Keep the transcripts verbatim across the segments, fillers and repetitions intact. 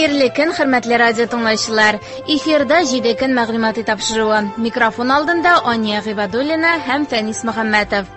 Хәерле көн, хөрмәтле радио тыңлаучылар. Эфирда җиде көн мәгълүмати тапшыруы. Микрофон алдында Ания Гыйбадуллина һәм Фәнис Мөхәммәтов.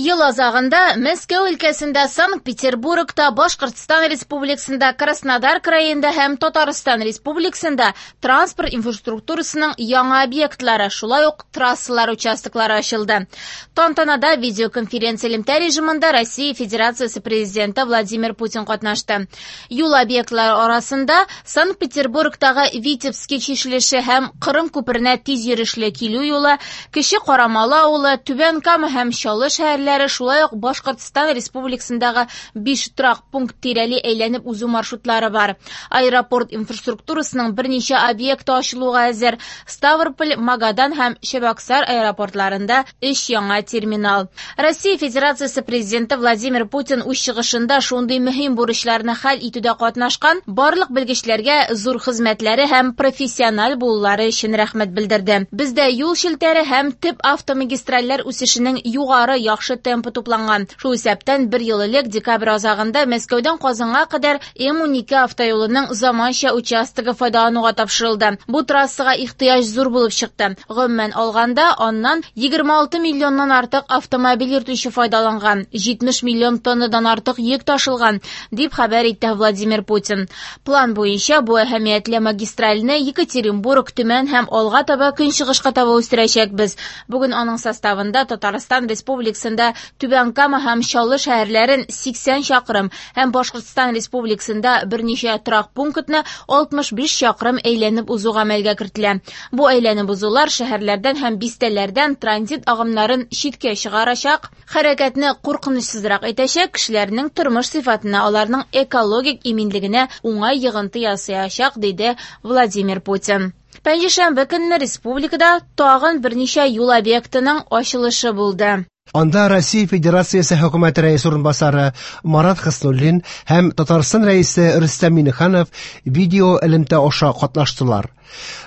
Ел азагында Мәскәү өлкәсендә, Санкт-Петербургта, Башкортстан Республикасында, Краснодар краенда һәм Татарстан Республикасында транспорт инфраструктурасының яңа объектлары, шулай ук трассалар участоклары ачылды. Тантанада видеоконференция элемтә режимында Россия Федерациясе Президенты Владимир Путин катнашты. Юл объектлары арасында Санкт-Петербургтагы Витебский чишелеше һәм Кырым күперенә тиз йөрешле килү юлы, Кече Карамалы авылы, Түбән Кама һәм Чаллы шәһәрләре, шулай ук Башкортстан Республикасындагы биш торак пункт тирәли әйләнеп узу маршрутлары бар. Аэропорт инфраструктурасының берничә объекты ачылуга әзер. Ставрополь, Магадан һәм Чебоксар аэропортларында өч яңа терминал. Россия Федерациясе Президенты Владимир Путин үз чыгышында шундый мөһим бурычларны хәл итүдә катнашкан барлык белгечләргә зур хезмәтләре һәм профессиональ булулары өчен рәхмәт белдерде. Бездә юл челтәре һәм төп автомагистральләр үсешенең югары яхшы темпы тупланган. Шул исәптән бер ел элек декабрь азагында Мәскәүдән Казанга кадәр М унике автоюлының заманча участогы файдалануга тапшырылды. Бу трассага ихтыяҗ зур булып чыкты. Гомумән алганда, аннан егерме алты миллионнан артык автомобиль йөртүче файдаланган, җитмеш миллион тоннадан артык йөк ташылган, дип хәбәр итте Владимир Путин. План буенча бу әһәмиятле магистральне Екатеринбург, Төмән һәм алга таба көнчыгышка таба үстерәчәкбез. Бүген аның составында Татарстан Республикасында Түбән Кама һәм Чаллы шәһәрләрен сиксән чакрым һәм Башкортстан Республикасында берничә торак пунктны алтмыш биш чакрым әйләнеп узу гамәлгә кертелә. Бу әйләнеп узулар шәһәрләрдән һәм бистәләрдән транзит агымнарын читкә чыгарачак, хәрәкәтне куркынычсызрак итәчәк, кешеләрнең тормыш сыйфатына, аларның экологик иминлегенә уңай йогынты ясаячак, диде Владимир Путин. Пәнҗешәмбе көнне республикада тагын берничә юл объектының ачылышы булды. Анда Россия Федерациясе хөкүмәте рәисе урынбасары Марат Хөснуллин һәм Татарстан рәисе Рөстәм Миңнеханов видео элемтә аша катнаштылар.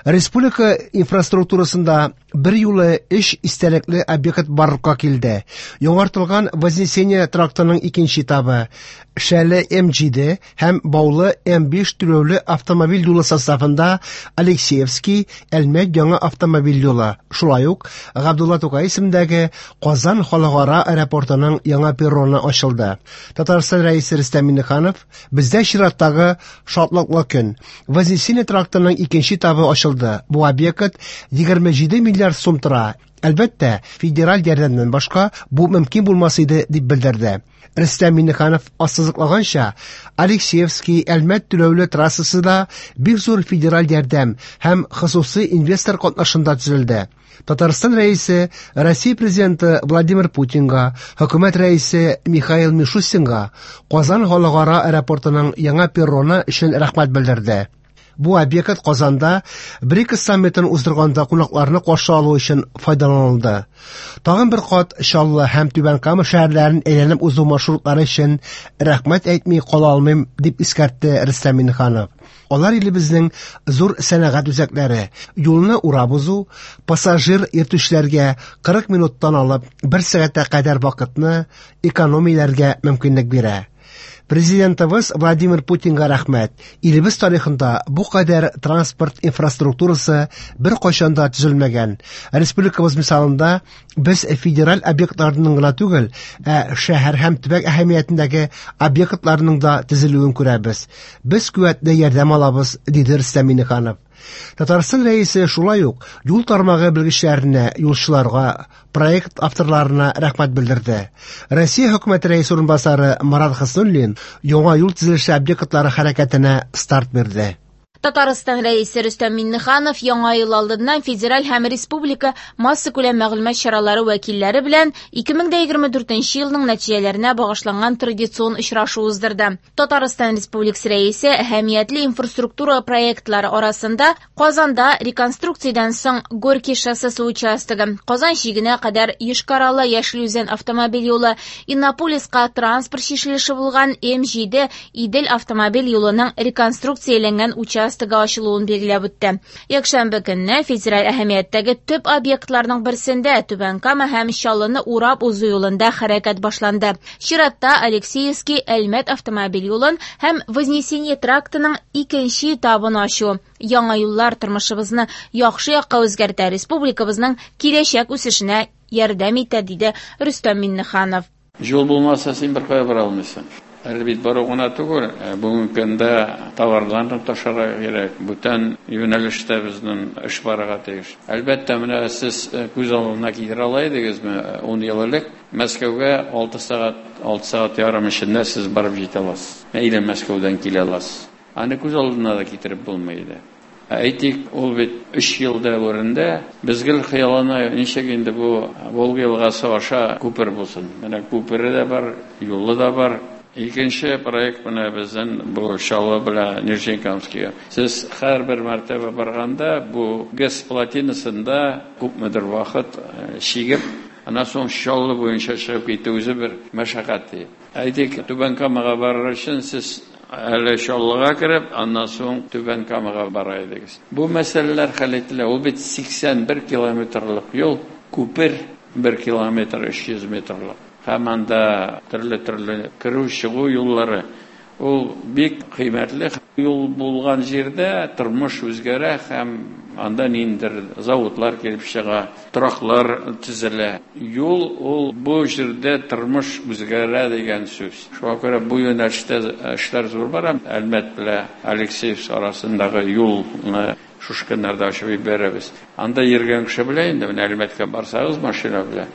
Республика инфраструктурасында бер юлы өч истәлекле объект барлыкка килде. Яңартылган Вознесение трактының икенче этабы, Шәле М җиде һәм Баулы М биш түләүле автомобиль юлы составында Алексеевский, Әлмәт яңа автомобиль юлы, шулай ук Габдулла Тукай исемендәге Казан халыкара аэропортының яңа перроны ачылды. Татарстан рәисе Рөстәм Миңнеханов: "Бездә чираттагы шатлыклы көн. Вознесение трактының икенче этабы ачылды. Бу объект егерме җиде миллиард сум тора. Әлбәттә, федераль ярдәмнән башка бу мөмкин булмас иде", дип белдерде. Рөстәм Миңнеханов ассызыклаганча, Алексеевский Әлмәт түләүле трассасы да бик зур федераль ярдәм һәм хосусый инвестор катнашында төзелде. Татарстан рәисе Россия президенты Владимир Путинга, хөкүмәт рәисе Михаил Мишустинга Казан халыкара аэропортының яңа перроны өчен рәхмәт белдерде. Бу объект Казанда БРИКС саммитын уздырганда кунакларны каршы алу өчен файдаланылды. Тагын бер кат Чаллы һәм Түбән Кама шәһәрләрен әйләнеп узу маршрутлары өчен рәхмәт әйтми кала алмыйм, дип искәртте Рөстәм Миңнеханов. Алар илебезнең зур сәнәгать үзәкләре. Юлны урап узу пассажир йөртүчеләргә кырык минуттан алып бер сәгатькә кадәр вакытны экономияләргә мөмкинлек бирә. Президентыбыз Владимир Путинга рәхмәт. Илебез тарихында бу кадәр транспорт инфраструктурасы бер кайчан да төзелмәгән. Республикабыз мисалында без федераль объектларның гына түгел, ә шәһәр һәм төбәк әһәмиятендәге объектларның да төзелүен күрәбез. Без куәтле ярдәм алабыз, диде Рөстәм Миңнеханов. Татарстан рәисе шулай ук юл тармагы белгечләренә, юлчыларга, проект авторларына рәхмәт белдерде. Россия хөкүмәте рәисе урынбасары Марат Хөснуллин яңа юл төзелеше объектлары хәрәкәтенә старт бирде. Татарстан рәисе Рөстәм Миңнеханов яңа ел алдыннан федераль һәм республика массакүләм мәгълүмат чаралары вәкилләре белән ике мең дә егерме дүртенче елның нәтиҗәләренә багышланган традицион очрашу уздырды. Татарстан Республикасы рәисе әһәмиятле инфраструктура проектлары арасында Казанда реконструкциядән соң Горький шоссесы участогы, Казан чигенә кадәр Йошкар-Ола Яшел Үзән автомобиль юлы, Иннополиска транспорт чишелеше булган М җиде Идел автомобиль юлының реконструкцияләнгән участогы участогы ачылуын билгеләп үтте. Якшәмбе көнне федераль әһәмияттәге төп объектларның берсендә Түбән Кама һәм Чаллыны урап узу юлында хәрәкәт башланды. Чиратта Алексеевский Әлмәт автомобиль юлын һәм Вознесение трактының икенче этабын ачу. Яңа юллар тормышыбызны яхшы якка үзгәртә, республикабызның киләчәк үсешенә ярдәм итә, диде Рөстәм Миңнеханов. Юл булмаса, син бер кая бара алмыйсың. Әле бит бару гына түгел, бүгенге көндә товарларны ташырга кирәк. Бүтән юнәлештә безнең эш барырга тиеш. Әлбәттә, менә сез күз алдына китерә ала идегезме, ун ел элек Мәскәүгә алты сәгать, алты сәгать ярым эчендә сез барып җитә аласыз. Или Мәскәүдән килә аласыз. Аны күз алдына да китереп булмый иде. Әйтик, ул бит өч ел дәверендә без гел хыяллана, ничек инде бу Волга елгасы аша күпер булсын. Менә күпере дә бар, юлы да бар. Икенче проект менә безнең бу Чаллы белән Нижнекамскига. Сез һәрбер мәртәбә барганда бу ГЭС плотинасында күпмедер вакыт чигеп, аннан соң Чаллы буенча чыгып китү үзе бер мәшәкать. Әйтик, Түбән Камага барыр өчен сез әле Чаллыга кереп, аннан соң Түбән Камага бара идегез. Бу мәсьәләләр хәл ителә. Ул бит сиксән бер километрлык юл, күпер бер километр өч йөз метрлык. Һәм анда төрле-төрле керү-чыгу юллары. Ул бик кыйммәтле юл булган җирдә тормыш үзгәрә һәм анда ниндидер заводлар килеп чыга, тораклар төзелә. Юл ул бу җирдә тормыш үзгәрә дигән сүз. Шуңа күрә бу юнәлештә эшләр зур бара. Әлмәт белән Алексеевск арасындагы юлны шушы көннәрдә ачып җибәрәбез. Анда йөргән кеше белә инде, менә Әлмәткә барсагыз машина белән,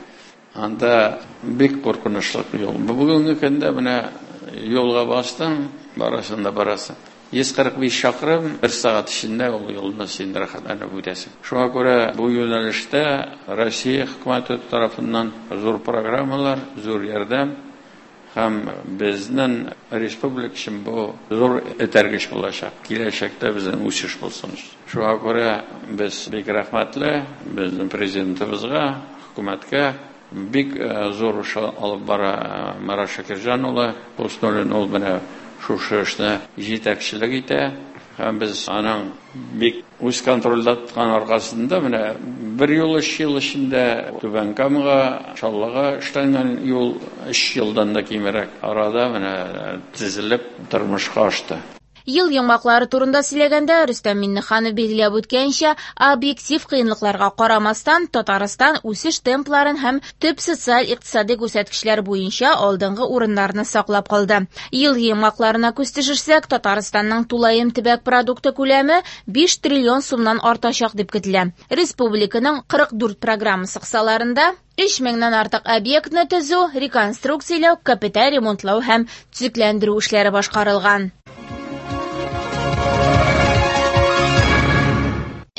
анда бик куркынычлы юл. Бүгенге көндә менә юлга бастың, барасың да барасың. Йөз кырык биш чакрым бер сәгать эчендә ул юлны син рәхәтләнеп үтәсең. Шуңа күрә бу юнәлештә Россия хөкүмәте тарафыннан зур программалар, зур ярдәм һәм безнең республика өчен бу зур этәргеч булачак. Киләчәктә безнең үсеш булсын. Шуңа күрә без бик рәхмәтле безнең президентыбызга, хөкүмәткә. Бик зур эш алып бара Марат Шакирҗан улы. Хуснуллин ул менә шушы эшне җитәкчелек итә. Һәм без аның бик үз контрольдә тоткан аркасында менә бер юл өч ел эчендә Түбән Камага, Чаллыга эшләнгән юл өч елдан да кимрәк арада менә төзелеп тормышка ашты. Ел йомгаклары турында сөйләгәндә Рөстәм Миңнеханов билгеләп үткәнчә, объектив кыенлыкларга карамастан, Татарстан үсеш темпларын һәм төп социаль-икътисади күрсәткечләр буенча алдынгы урыннарны саклап калды. Ел йомгакларына күз төшерсәк, Татарстанның тулаем төбәк продукты күләме биш триллион сумнан артачак дип көтелә. Республиканың кырык дүрт программасы кысаларында өч меңнән артык объектны төзү, реконструкцияләү, капиталь ремонтлау һәм төзекләндерү эшләре башкарылган.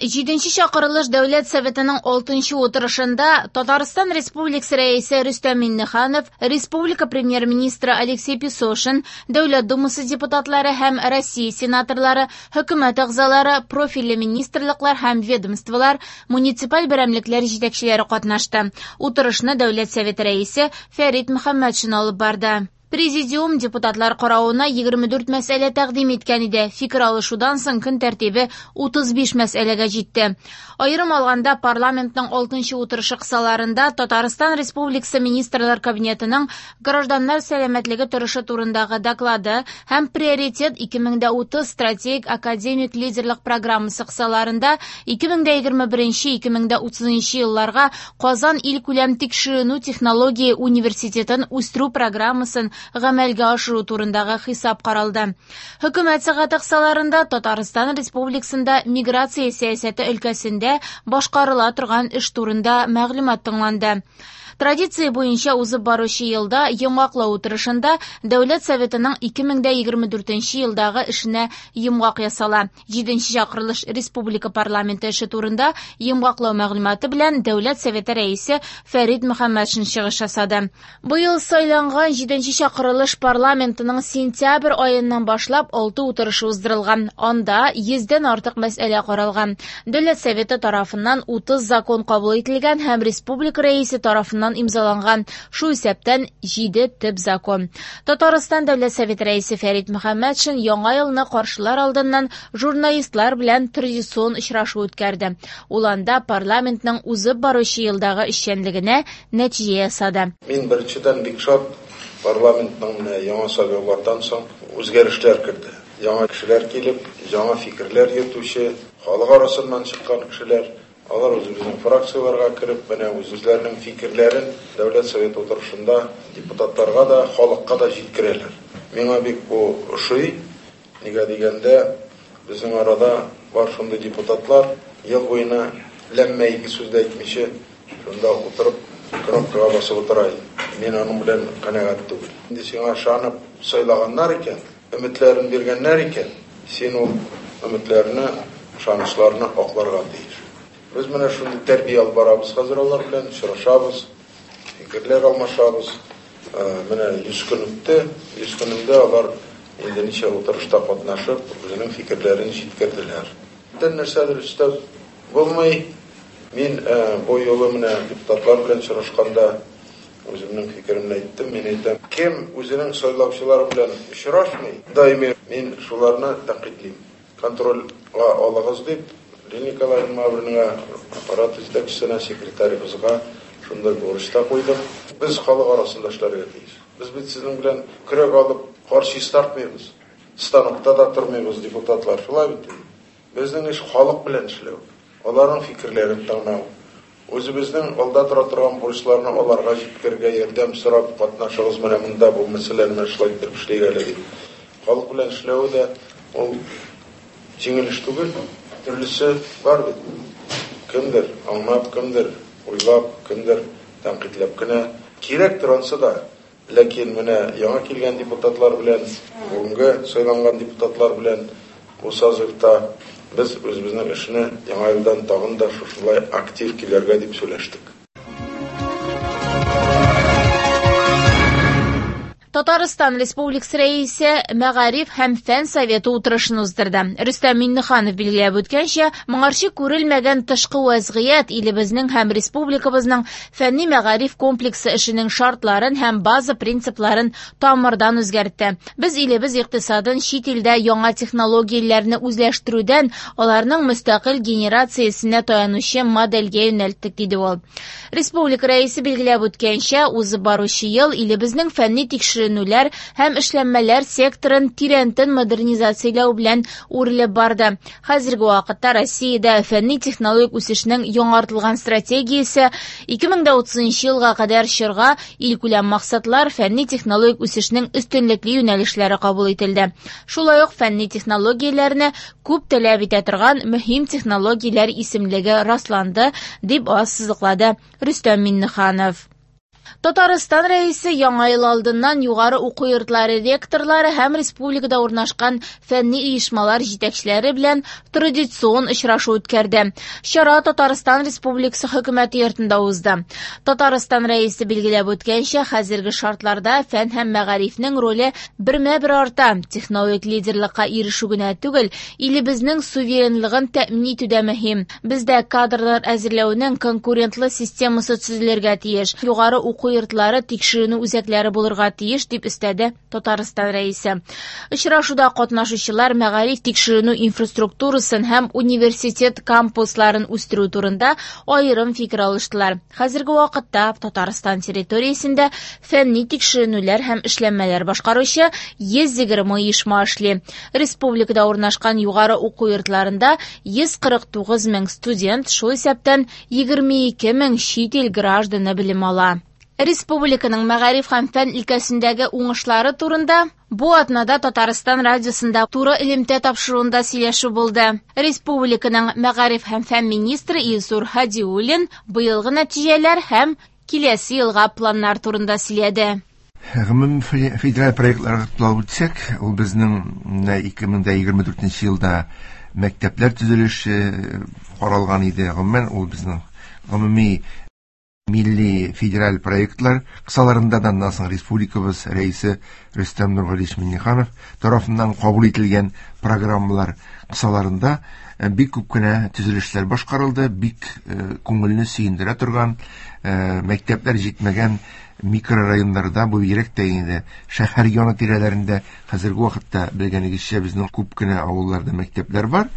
Җиденче чакырылыш Дәүләт Советының алтынчы утырышында Татарстан Республикасы Рәисе Рөстәм Миңнеханов, Республика Премьер-министры Алексей Песошин, Дәүләт Думасы депутатлары һәм Россия сенаторлары, хөкүмәт әгъзалары, профильле министрлыклар һәм ведомстволар, муниципаль берәмлекләр җитәкчеләре катнашты. Утырышны Дәүләт Советы рәисе Фәрит Мөхәммәтшин алып барды. Президиум депутатлар каравына егерме дүрт мәсьәлә тәкъдим иткән иде. Фикер алышудан соң көн тәртибе утыз биш мәсьәләгә җитте. Аерым алганда парламентның алтынчы утырышы кысаларында Татарстан Республикасы Министрлар Кабинетының гражданнар сәламәтлеге торышы турындагы доклады һәм Приоритет ике мең дә утыз стратегик академик лидерлык программасы кысаларында ике мең дә егерме беренче ике мең дә утызынчы елларга Казан илкүләм тикшеренү технология университетын үстерү программасын гамәлгә ашыру турындагы хисап каралды. Хөкүмәт сәгате кысаларында Татарстан Республикасында миграция сәясәте өлкәсендә башкарыла торган эш турында мәгълүмат тыңланды. Традиция буенча узып баручы елда йомгаклау утырышында Дәүләт Советының ике мең дә егерме дүртенче елдагы эшенә йомгак ясала. Җиденче чакырылыш Республика парламенты эше турында йомгаклау мәгълүматы белән Дәүләт Советы рәисе Фәрит Мөхәммәтшин чыгыш ясады. Быел сайланган җиденче чакырылыш парламентының сентябрь аеннан башлап алты утырышы уздырылган. Анда йөздән артык мәсьәлә каралган. Дәүләт Советы тарафыннан утыз закон кабул ителгән һәм республика рәисе тарафыннан тарафыннан имзаланган, шул исәптән җиде төп закон. Татарстан Дәүләт Советы рәисе Фәрит Мөхәммәтшин яңа елны каршылар алдыннан журналистлар белән традицион очрашу үткәрде. Ул анда парламентның узып баручы елдагы эшчәнлегенә нәтиҗә ясады. Мин беренчедән бик шат, парламентның менә яңа сайлаулардан соң үзгәрешләр керде. Яңа кешеләр килеп, яңа фикерләр йөртүче, халык арасыннан чыккан кешеләр, алар үзебезнең фракцияләргә кереп, менә үзләренең фикерләрен Дәүләт Советы утырышында депутатларга да, халыкка да җиткерәләр. Миңа бик бу ошый. Нигә дигәндә, безнең арада бар шундый депутатлар, ел буена ләммә ике сүз дә әйтмичә, шунда утырып кнопкага басып утыра. Мин аның белән канәгать түгел. Инде сиңа ышанып сайлаганнар икән, өметләрен биргәннәр икән, син ул өметләрне, ышанычларны акларга тиеш. Без менә шундый тәрбия алып барабыз хәзер алар белән, очрашабыз, фикерләр алмашабыз. Менә йөз көн үтте, йөз көнендә алар инде ничә утырышта катнашып, үзенең фикерләрен җиткерделәр. Бүтән нәрсәдер өстәп булмый. Мин бу юлы менә депутатлар белән очрашканда үземнең фикеремне әйттем. Мин әйтәм, кем үзенең сайлаучылары белән очрашмый, даими мин шуларны тәнкыйтьлим. Контрольгә алыгыз дип, Лилия Николаевна Мавринага, аппарат җитәкчесенә, секретаребызга шундай бурыч та куйдым. Без халык арасында эшләргә тиеш. Без бит сезнең белән көрәк алып кар чистартмыйбыз. Станокта да тормыйбыз, депутатлар, шулай бит. Безнең эш халык белән эшләү, аларның фикерләрен тыңлау. Үзебезнең алда тора торган бурычларны аларга җиткерергә ярдәм сорап катнашыгыз, менә монда бу мәсьәләне менә шулай итеп эшлик әле дип. Халык белән эшләү дә ул җиңел эш түгел, төрлесе бар бит. Кемдер аңлап, кемдер уйлап, кемдер тәнкыйтьләп кенә кирәк торансы да. Ләкин менә яңа килгән депутатлар белән, бүгенге сайланган депутатлар белән бу созывта без үзебезнең эшне яңа елдан тагын да шушылай актив килергә дип сөйләштек. Татарстан Республикасы Рәисе Мәгариф һәм Фән Советы утырышын уздырды. Рөстәм Миңнеханов билгеләп үткәнчә, моңарчы күрелмәгән тышкы вәзгыять илебезнең һәм республикабызның фәнни мәгариф комплексы эшенең шартларын һәм база принципларын тамырдан үзгәртте. Без илебез икътисадын чит илдә яңа технологияләрне үзләштерүдән аларның мөстәкыйль генерациясенә таянучы модельгә юнәлттек, диде ул. Республика Рәисе билгеләп үткәнчә, узып баручы ел илебезнең фәнни тикшерү һәм эшләнмәләр секторын тирәнтен модернизацияләү белән үрелеп барды. Хәзерге вакытта Россиядә фәнни технологик үсешнең яңартылган стратегиясе ике мең дә утызынчы елга кадәр чорга илкүләм максатлар, фәнни технологик үсешнең өстенлекле юнәлешләре кабул ителде. Шулай ук фәнни технологияләрне күп таләп итә торган мөһим технологияләр исемлеге расланды, дип ассызыклады Рөстәм Миңнеханов. Татарстан Рәисе яңа ел алдыннан югары уку йортлары ректорлары һәм республикада урнашкан фәнни оешмалар җитәкчеләре белән традицион очрашу үткәрде. Чара Татарстан Республикасы хөкүмәте йортында узды. Татарстан Рәисе билгеләп үткәнчә, хәзерге шартларда фән һәм мәгарифнең роле бермә-бер арта. Технологик лидерлыкка ирешү генә түгел, илебезнең суверенлыгын тәэмин итү дә мөһим. Бездә кадрлар әзерләүнең конкурентлы системасы төзелергә тиеш. Югары уку йортлары тикшеренү үзәкләре булырга тиеш, дип өстәде Татарстан Рәисе. Очрашуда катнашучылар мәгариф тикшеренү инфраструктурасын һәм университет кампусларын үстерү турында аерым фикер алыштылар. Хәзерге вакытта Татарстан территориясендә фәнни тикшеренүләр һәм эшләнмәләр башкаручы йөз егерме оешма эшли. Республикада урнашкан югары уку йортларында йөз кырык тугыз мең студент, шул исәптән егерме ике мең чит ил гражданы белем ала. Республиканың мәгариф һәм фән өлкәсендәге уңышлары турында бу атнада Татарстан радиосында туры элемтә тапшыруында сөйләшү булды. Республиканың мәгариф һәм фән министры Илсур Һадиуллин быелгы нәтиҗәләр һәм киләсе елга планнар турында сөйләде. Гомум федераль проектларга тукталып үтсәк, ул безнең ике мең дә егерме дүртенче елда мәктәпләр төзелеше каралган иде. Гомумән, ул безнең гомуми милли федераль проектлар кысаларында да аннан соң республикабыз рәисе Рөстәм Нургалиевич Миңнеханов тарафыннан кабул ителгән программалар кысаларында бик күп кенә төзелешләр башкарылды, бик күңелне сөендерә торган мәктәпләр җитмәгән микрорайоннарда, бу бигрәк тә инде шәһәр яны тирәләрендә хәзерге вакытта белгәнегезчә безнең күп кенә авылларда мәктәпләр бар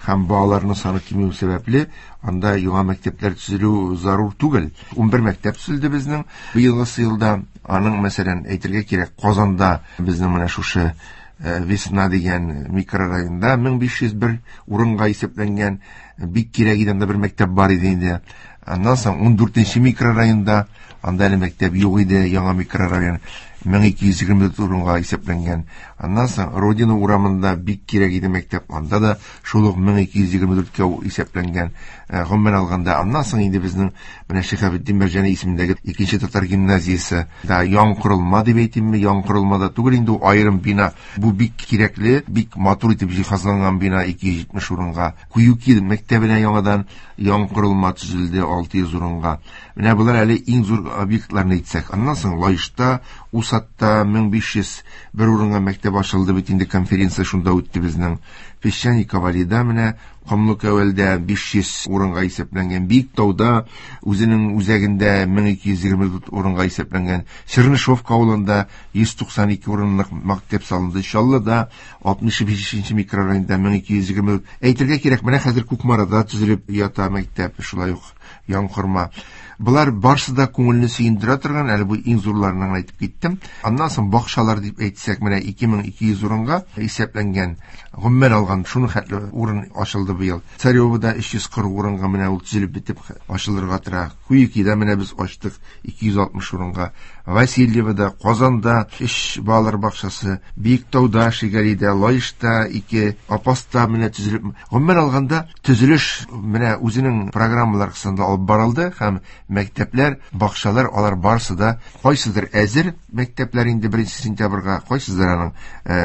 һәм балаларның саны кимү сәбәпле анда яңа мәктәпләр төзелү зарур түгел. Унбер мәктәп төзелде безнең быелгы елда. Аның, мәсәлән, әйтергә кирәк, Казанда безнең менә шушы Весна дигән микрорайонда мең биш йөз бер урынга исәпләнгән бик кирәк иде, анда бер мәктәп бар иде инде. Аннан соң ун дүртенче микрорайонда, анда әле мәктәп юк иде, яңа микрорайон мең ике йөз егерме дүрт урынга исәпләнгән. Аннан соң Родина урамында бик кирәк иде мәктәп, анда да шул ук мең ике йөз егерме дүрткә исәпләнгән. Гомумән алганда, аннан соң инде безнең менә Шиһабетдин Мәрҗани исемендәге икенче татар гимназиясе да яңа корылма дип әйтимме, яңа корылма да түгел инде, ул аерым бина. Бу бик кирәкле, бик матур итеп җиһазланган бина, ике йөз җитмеш урынга. Куюки мәктәбенә яңадан яңа корылма төзелде, алты йөз урынга. Менә болар әле иң зур объектларны әйтсәк. Аннан соң Лаешта, Усатта мең биш йөз бер урынга мәктәп ачылды бит инде, конференция шунда үтте безнең. Песчаный Ковалида менә Комлыкәвәлдә биш йөз урынга исәпләнгән, Биектауда үзенең үзәгендә мең ике йөз егерме дүрт урынга исәпләнгән, Чернышевка авылында йөз туксан ике урынлык мәктәп салынды, Чаллыда алтмыш бишенче микрорайонда мең ике йөз егерме дүрт. Әйтергә кирәк, менә хәзер Кукмарада төзелеп ята мәктәп, шулай ук Яңкорма. Болар барсы да күңелне сөендерә торган, әле бу иң зурларыннан әйтеп киттем. Аннан соң бакчалар дип әйтсәк, менә ике мең ике йөз урынга исәпләнгән, гомумән алган шуның хәтле урын ачылды быел. Царевода өч йөз кырык урынга менә ул төзелеп бетеп ачылырга тора. Куюкида менә без ачтык ике йөз алтмыш урынга. Васильевода, Казанда өч балалар бакчасы, Биектауда, Шигалида, Лаешта ике, Апаста менә төзелеп. Гомумән алганда төзелеш менә үзенең программалар кысасында алып барылды һәм мәктәпләр, бакчалар, алар барысы да кайсыдыр әзер мәктәпләр инде беренче сентябрьгә, кайсыдыр аның,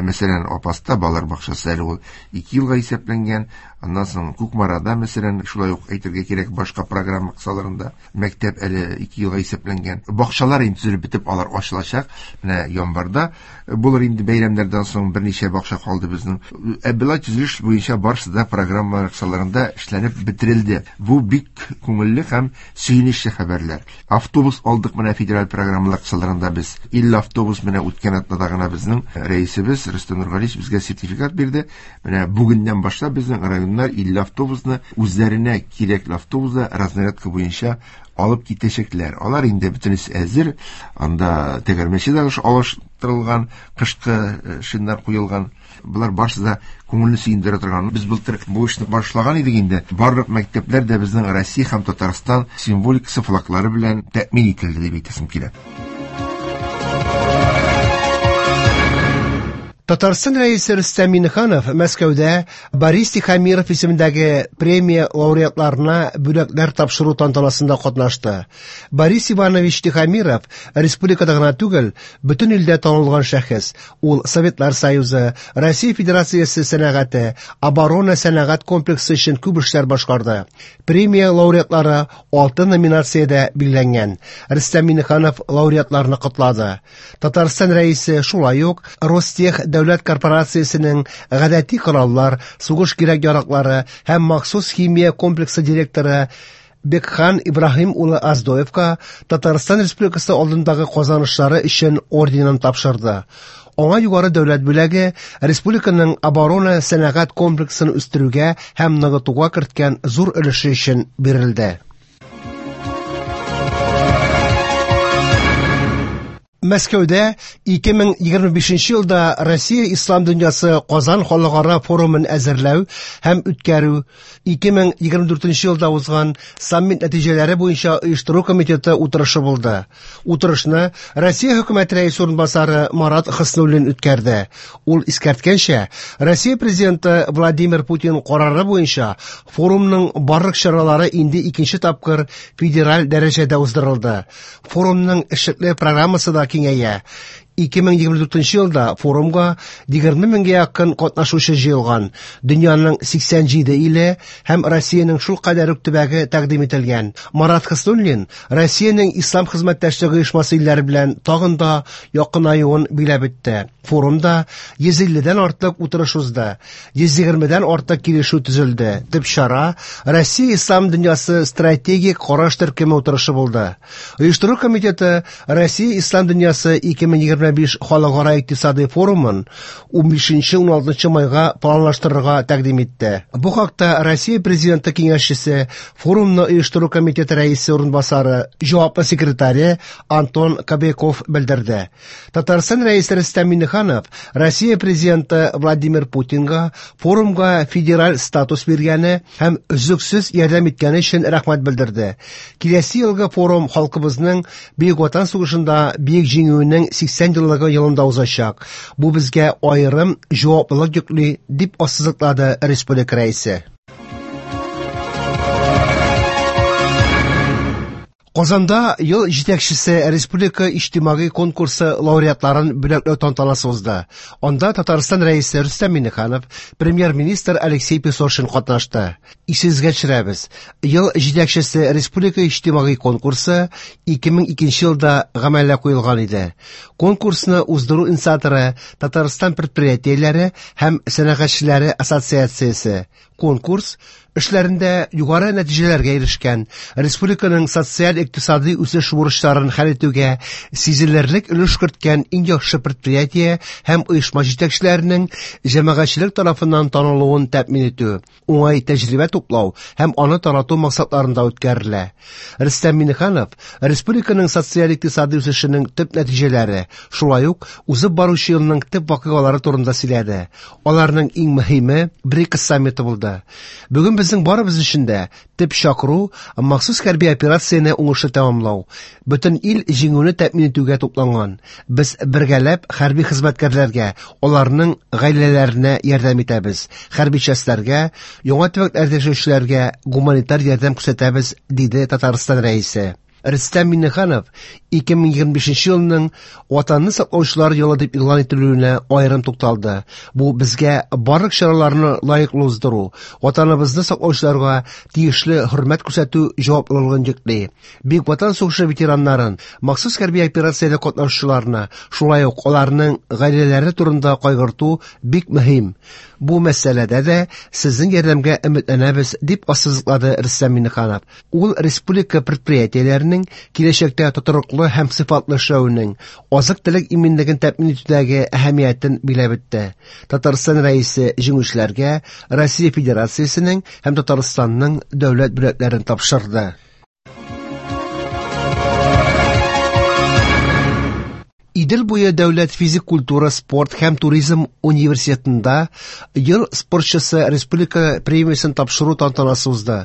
мәсәлән, Апаста балалар бакчасы әле ул ике елга исәпләнгән. Аннан соң Кукмарада, мәсәлән, шулай ук әйтергә кирәк, башка программа кысаларында мәктәп әле ике елга исәпләнгән. Бакчалар инде төзелеп бетеп, алар ачылачак. Менә январьда булыр инде, бәйрәмнәрдән соң берничә бакча калды безнең. Ә болай төзелеш буенча барысы да программа кысаларында эшләнеп бетерелде. Бу бик күңелле һәм сөенечле хәбәрләр. Автобус алдык менә федераль программалар кысаларында без. Илле автобус менә үткән атнада гына безнең рәисебез Рөстәм Нургалиевич безгә сертификат бирде. Менә бүгеннән башлап безнең районнар илле автобусны үзләренә кирәкле автобусда разнарядка буенча алып китәчәкләр. Алар инде бөтенесе әзер. Анда тәгәрмәче дә алыштырылган, кышкы шиннар куелган. Болар барысы да күңелне сөендерә торган. Без былтыр бу эшне башлаган идек инде. Барлык мәктәпләр дә безнең Россия һәм Татарстан символикасы флаглары белән тәэмин ителде дип әйтәсем килә. Татарстан рәисе Рөстәм Миңнеханов Мәскәүдә Борис Тихомиров исемендәге премия лауреатларына бүләкләр тапшыру тантанасында катнашты. Борис Иванович Тихомиров республикада гына түгел, бөтен илдә танылган шәхес. Ул Советлар Союзы, Россия Федерациясе сәнәгате, оборона сәнәгать комплексы өчен күп эшләр башкарды. Премия лауреатлары алты номинациядә билгеләнгән. Рөстәм Миңнеханов лауреатларны котлады. Татарстан рәисе шулай ук Ростех дәүләт корпорациясенең гадәти кораллар, сугыш кирәк-яраклары һәм махсус химия комплексы директоры Бекхан Ибраһим улы Аздоевка Татарстан Республикасы алдындагы казанышлары өчен орденын тапшырды. Аңа югары дәүләт бүләге республиканың оборона сәнәгать комплексын үстерүгә һәм ныгытуга керткән зур өлеше өчен бирелде. Мәскәүдә ике мең егерме бишенче елда Россия Ислам дөньясы Казан халыкара форумын әзерләү һәм үткәрү, ике мең егерме дүртенче елда узган саммит нәтиҗәләре буенча оештыру комитеты утырышы булды. Утырышны Россия хөкүмәте рәисе урынбасары Марат Хөснуллин үткәрде. Ул искәрткәнчә, Россия президенты Владимир Путин карары буенча форумның барлык чаралары инде икенче тапкыр федераль дәрәҗәдә уздырылды. Форумның эшлекле программасы да киңәя. ике мең егерме дүртенче елда форумга егерме меңгә якын катнашучы җыелган. Дөньяның сиксән җиде иле һәм Россиянең шул кадәр үк төбәге тәкъдим ителгән. Марат Хөснуллин Россиянең Ислам хезмәттәшлеге оешмасы илләре белән тагын да якынаюын биләп үтте. Форумда йөз илледән артык утырыш узды, йөз егермедән артык килешү төзелде. Төп чара Россия Ислам дөньясы стратегик караш төркеме утырышы булды. Оештыру комитеты Россия Ислам дөньясы ике мең егерме биш халыкара икътисади форумын унбишенче уналтынчы майга планлаштырырга тәкъдим итте. Бу хакта Россия президенты киңәшчесе, форумны оештыру комитеты рәисе урынбасары, җаваплы секретаре Антон Кобяков белдерде. Татарстан рәисе Рөстәм Миңнеханов Россия президенты Владимир Путинга форумга федераль статус биргәне һәм өзлексез ярдәм иткәне өчен рәхмәт белдерде. Киләсе елгы форум халкыбызның Бөек Ватан сугышында бөек җиңүенең сиксән еллыгы елында узачак. Бу безгә аерым җаваплылык йөкли, дип ассызыклады республика рәисе. Казанда ел җитәкчесе республика иҗтимагый конкурсы лауреатларын бүләкләү тантанасы узды. Анда Татарстан рәисе Рөстәм Миңнеханов, премьер-министр Алексей Песошин катнашты. Исегезгә төшерәбез, ел җитәкчесе республика иҗтимагый конкурсы ике мең икенче елда гамәлгә куелган иде. Конкурсны уздыру инициаторы Татарстан предприятиеләре һәм сәнәгатьчеләре ассоциациясе. Конкурс эшләрендә югары нәтиҗәләргә ирешкән, республиканың социаль-икътисади үсеш бурычларын хәл итүгә сизелерлек өлеш керткән иң яхшы предприятие һәм оешма җитәкчеләренең җәмәгатьчелек тарафыннан танылуын тәэмин итү, уңай тәҗрибә туплау һәм аны тарату максатларында үткәрелә. Рөстәм Миңнеханов республиканың социаль-икътисади үсешенең төп нәтиҗәләре, шулай ук узып баручы елның төп вакыйгалары турында сөйләде. Аларның иң мөһиме БРИКС саммиты булды. Бүген безнең барыбыз өчен дә төп чакыру махсус хәрби операцияне уңышлы тәмамлау. Бөтен ил җиңүне тәэмин итүгә тупланган. Без бергәләп хәрби хезмәткәрләргә, аларның гаиләләренә ярдәм итәбез. Хәрби частьләргә, яңа төбәкләрдә яшәүчеләргә гуманитар ярдәм күрсәтәбез, диде Татарстан рәисе. Рөстәм Миңнеханов ике мең егерме бишенче елның Ватанны саклаучылар елы дип игълан ителүенә аерым тукталды. Бу безгә барлык чараларны лаеклы уздыру, Ватаныбызны саклаучыларга тиешле хөрмәт күрсәтү җаваплылыгын йөкли. Бөек Ватан сугышы ветераннарын, махсус хәрби операциядә катнашучыларны, шулай ук аларның гаиләләре турында кайгырту бик мөһим. Бу мәсьәләдә дә сезнең ярдәмгә өметләнәбез, дип ассызыклады Рөстәм Миңнеханов. Ул республика предприятиеләренең киләчәктә тотрыклы һәм сыйфатлы эшләвенең, азык-төлек иминлеген тәэмин итүдәге әһәмиятен биләп үтте. Татарстан рәисе җиңүчеләргә Россия Федерациясенең һәм Татарстанның дәүләт бүләкләрен тапшырды. Идел буе дәүләт физик культура, спорт һәм туризм университетында ел спортчысы республика премиясен тапшыру тантанасы узды.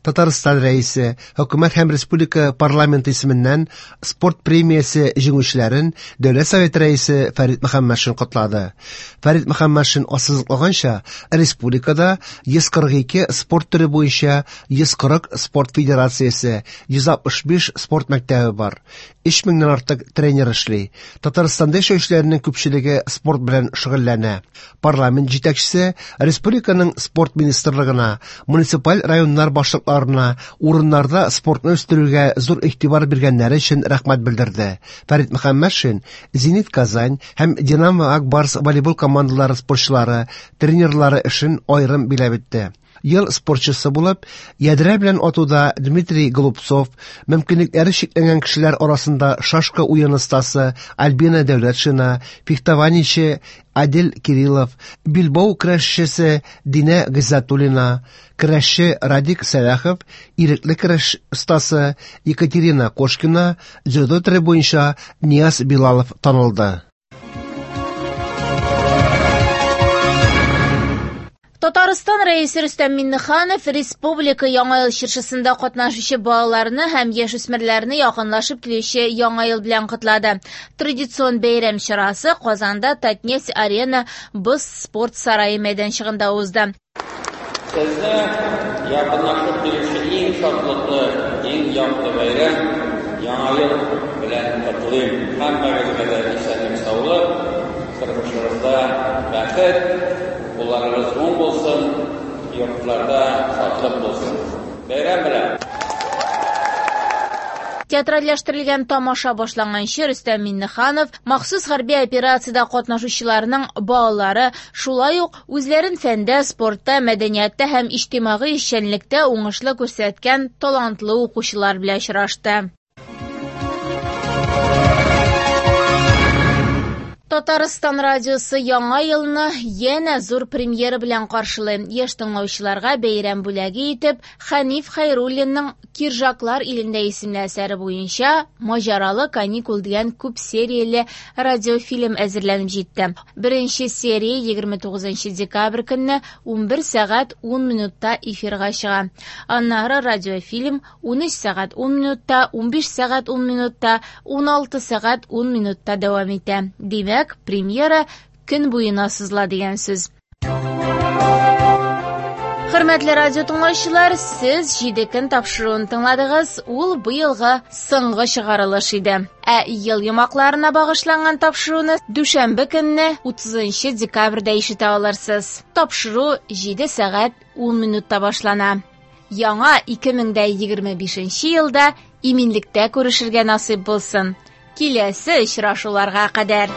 Татарстан рәисе, хөкүмәт һәм республика парламенты исеменнән спорт премиясе җиңүчеләрен Дәүләт Советы рәисе Фәрит Мөхәммәтшин котлады. Фәрит Мөхәммәтшин ассызыклаганча, республикада йөз кырык ике спорт төре буенча йөз кырык спорт федерациясе, йөз алтмыш биш спорт мәктәбе бар. Өч меңнән артык тренер эшли. Татарстанда яшәүчеләрнең күпчелеге спорт белән шөгыльләнә. Парламент җитәкчесе республиканың спорт министрлыгына, муниципаль районнар башлыкларына урыннарда спортны үстерүгә зур игътибар биргәннәре өчен рәхмәт белдерде. Фәрит Мөхәммәтшин Зенит Казань һәм Динамо Ак Барс волейбол командалары спортчылары, тренерлары эшен аерым биләп үтте. Ел спортчысы булып, ядрә белән атуда Дмитрий Голубцов, мөмкинлекләре чикләнгән кешеләр арасында шашка уен остасы Альбина Дәүләтшина, фехтованиече Адил Кириллов, билбау көрәшчесе Динә Гыйззәтуллина, көрәшче Радик Сәлахов, ирекле көрәш остасы Екатерина Кошкина, дзюдо төре буенча Нияз Билалов танылды. Татарстан рәисе Рөстәм Миңнеханов республика Яңа ел чыршысында катнашучы балаларны һәм яшүсмерләрне якынлашып килүче Яңа ел белән котлады. Традицион бәйрәм чарасы Казанда Татнефть Арена боз спорт сарае мәйданчыгында узды. Сезне якынлашып килүче иң шатлыклы, иң якты бәйрәм Яңа ел белән котлыйм. Һәммәгезгә дә исәнлек, саулык, тормышыгызда бәхет, кулларыгыз уң булсын, йортларда шатлык булсын. Бәйрәм белән! Театральләштерелгән тамаша башланганчы Рөстәм Миңнеханов махсус хәрби операциядә катнашучыларның балалары, шулай ук үзләрен фәндә, спортта, мәдәниятта һәм иҗтимагый эшчәнлектә уңышлы күрсәткән талантлы укучылар белән очрашты. Татарстан радиосы яңа елны янә зур премьера белән каршылый. Яшь тыңлаучыларга бәйрәм бүләге итеп Хәниф Хәйруллинның Киржаклар илендә исемле әсәре буенча Маҗаралы каникул дигән күп серияле радиофильм әзерләнеп җитте. Беренче серия егерме тугызынчы декабрь көнне унбер сәгать ун минутта эфирга чыга. Аннары радиофильм унөч сәгать ун минутта, унбиш сәгать ун минутта, уналты сәгать ун минутта дәвам итә. Димәк, премьера көн буена сызыла дигән сүз. Хөрмәтле радио тыңлаучылар, сез җиде көн тапшыруын тыңладыгыз. Ул быелгы соңгы чыгарылыш иде. Ә ел йомгакларына багышланган тапшыруны дүшәмбе көнне утызынчы декабрьдә ишетә алырсыз. Тапшыру җиде сәгать ун минутта башлана. Яңа ике мең дә егерме бишенче елда иминлектә күрешергә насыйп булсын. Киләсе очрашуларга кадәр.